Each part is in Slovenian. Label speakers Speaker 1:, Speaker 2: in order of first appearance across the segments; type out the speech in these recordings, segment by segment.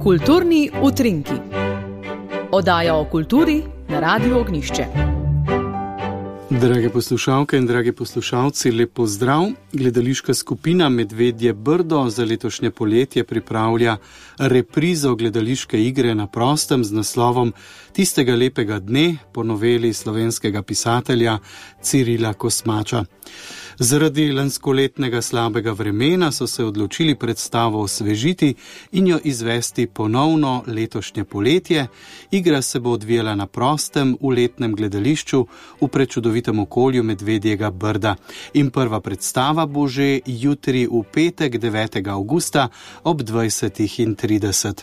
Speaker 1: Kulturni utrinki. Oddaja o kulturi na Radiu Ognjišče.
Speaker 2: Drage poslušalke in dragi poslušalci, lep pozdrav. Gledališka skupina Medvedje Brdo za letošnje poletje pripravlja reprizo gledališke igre na prostem z naslovom Tistega lepega dne po noveli slovenskega pisatelja Cirila Kosmača. Zaradi lanskoletnega slabega vremena so se odločili predstavo osvežiti in jo izvesti ponovno letošnje poletje. Igra se bo odvijala na prostem v letnem gledališču v prečudovitem okolju Medvedjega Brda. In prva predstava bo že jutri v petek 9. avgusta ob 20:30.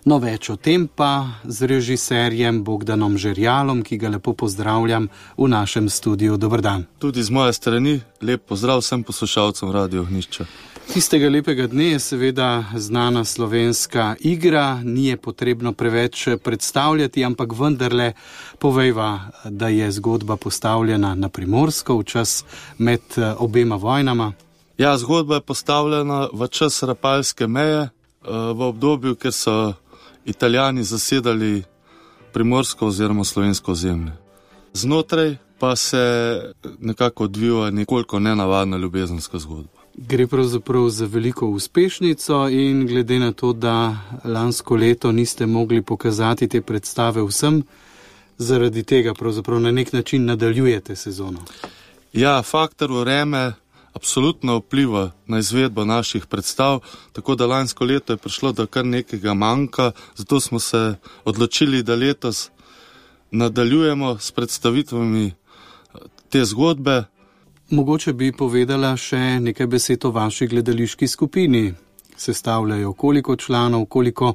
Speaker 2: No, več o tem pa z režiserjem Bogdanom Žerjalom, ki ga lepo pozdravljam v našem studiu. Dober dan.
Speaker 3: Tudi z moje strani lep pozdrav vsem poslušalcem Radia Ognjišče.
Speaker 2: Tistega lepega dne je seveda znana slovenska igra, ni je potrebno preveč predstavljati, ampak vendarle povejva, da je zgodba postavljena na Primorsko v čas med obema vojnama.
Speaker 3: Ja, zgodba je postavljena v čas Rapalske meje, v obdobju, ker so Italijani zasedali Primorsko oziroma slovensko ozemlje. Znotraj pa se nekako odvija nekoliko nenavadna ljubezenska zgodba.
Speaker 2: Gre pravzaprav za veliko uspešnico in glede na to, da lansko leto niste mogli pokazati te predstave vsem, zaradi tega pravzaprav na nek način nadaljujete sezono.
Speaker 3: Ja, faktor vreme absolutno vpliva na izvedbo naših predstav, tako da lansko leto je prišlo do kar nekega manjka, zato smo se odločili, da letos nadaljujemo s predstavitvami te zgodbe.
Speaker 2: Mogoče bi povedala še nekaj besed o vaši gledališki skupini. Sestavljajo koliko članov, koliko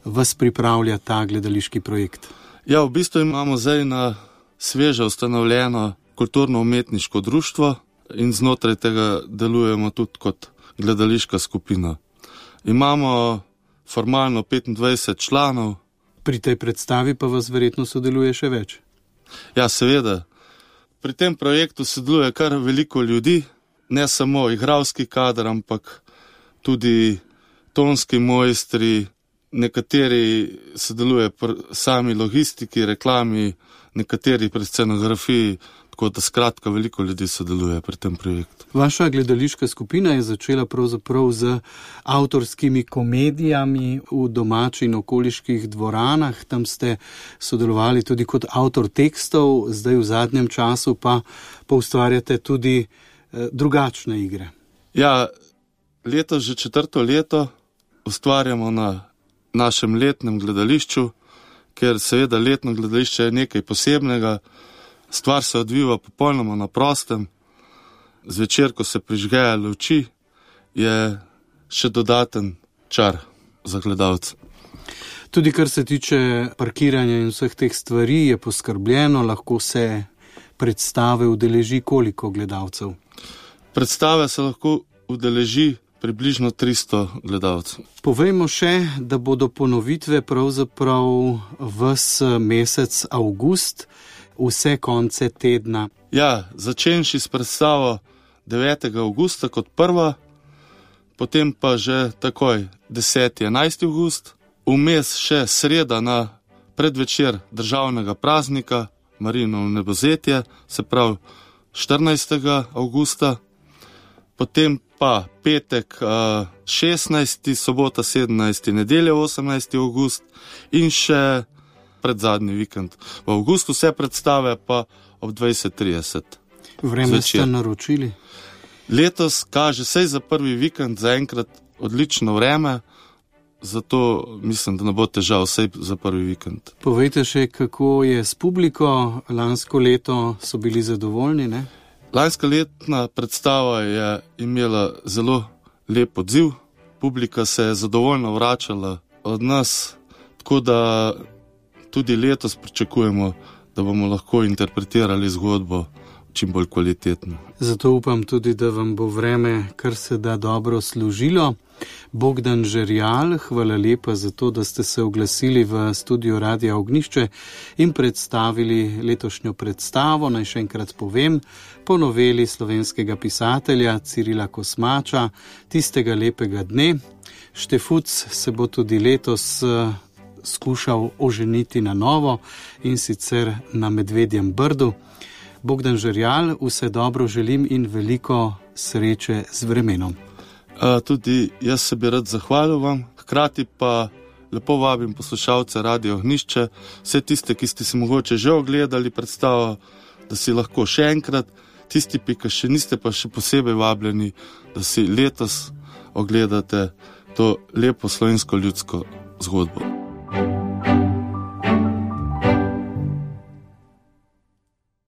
Speaker 2: vas pripravlja ta gledališki projekt?
Speaker 3: Ja, v bistvu imamo zdaj na sveže ustanovljeno kulturno-umetniško društvo, in znotraj tega delujemo tudi kot gledališka skupina. Imamo formalno 25 članov.
Speaker 2: Pri tej predstavi pa vas verjetno sodeluje še več?
Speaker 3: Ja, seveda. Pri tem projektu sodeluje kar veliko ljudi, ne samo igralski kader, ampak tudi tonski mojstri, nekateri sodeluje pri sami logistiki, reklami, nekateri pri scenografiji, tako da skratka veliko ljudi sodeluje pri tem projektu.
Speaker 2: Vaša gledališka skupina je začela pravzaprav z avtorskimi komedijami v domači in okoliških dvoranah. Tam ste sodelovali tudi kot avtor tekstov, zdaj v zadnjem času pa ustvarjate tudi drugačne igre.
Speaker 3: Ja, letos že 4. leto ustvarjamo na našem letnem gledališču, ker seveda letno gledališče je nekaj posebnega. Stvar se odviva popolnoma na prostem. Zvečer, ko se prižgejo luči, je še dodaten čar za gledalce.
Speaker 2: Tudi kar se tiče parkiranja in vseh teh stvari je poskrbljeno, lahko se predstave udeleži koliko gledalcev?
Speaker 3: Predstave se lahko udeleži približno 300 gledalcev.
Speaker 2: Povejmo še, da bodo ponovitve pravzaprav ves mesec avgust, vse konce tedna.
Speaker 3: Ja, začenši s predstavo 9. avgusta kot prva, potem pa že takoj 10. 11. avgust, vmes še sreda na predvečer državnega praznika Marijino vnebovzetje, se pravi 14. avgusta, potem pa petek 16., sobota 17., nedelja 18. avgust in še predzadnji vikend. V avgustu vse predstave pa ob 20:30.
Speaker 2: Vreme ste naročili?
Speaker 3: Letos kaže sej za prvi vikend zaenkrat odlično vreme, zato mislim, da ne bo težav sej za prvi vikend.
Speaker 2: Povejte še, kako je s publiko. Lansko leto so bili zadovoljni, ne?
Speaker 3: Lanska letna predstava je imela zelo lep odziv. Publika se je zadovoljno vračala od nas, tako da tudi letos pričakujemo, da bomo lahko interpretirali zgodbo čim bolj kvalitetno.
Speaker 2: Zato upam tudi, da vam bo vreme kar se da dobro služilo. Bogdan Žerjal, hvala lepa za to, da ste se oglasili v studiu Radia Ognjišče in predstavili letošnjo predstavo. Naj še enkrat povem, po noveli slovenskega pisatelja Cirila Kosmača, Tistega lepega dne. Štefuc se bo tudi letos skušal oženiti na novo in sicer na Medvedjem Brdu. Bogdan Žerjal, vse dobro želim in veliko sreče z vremenom.
Speaker 3: Tudi jaz se bi rad zahvalil vam, hkrati pa lepo vabim poslušalce Radio Ognjišče, vse tiste, ki ste si mogoče že ogledali predstavo, da si lahko še enkrat, tisti, ki še niste, pa še posebej vabljeni, da si letos ogledate to lepo slovensko ljudsko zgodbo.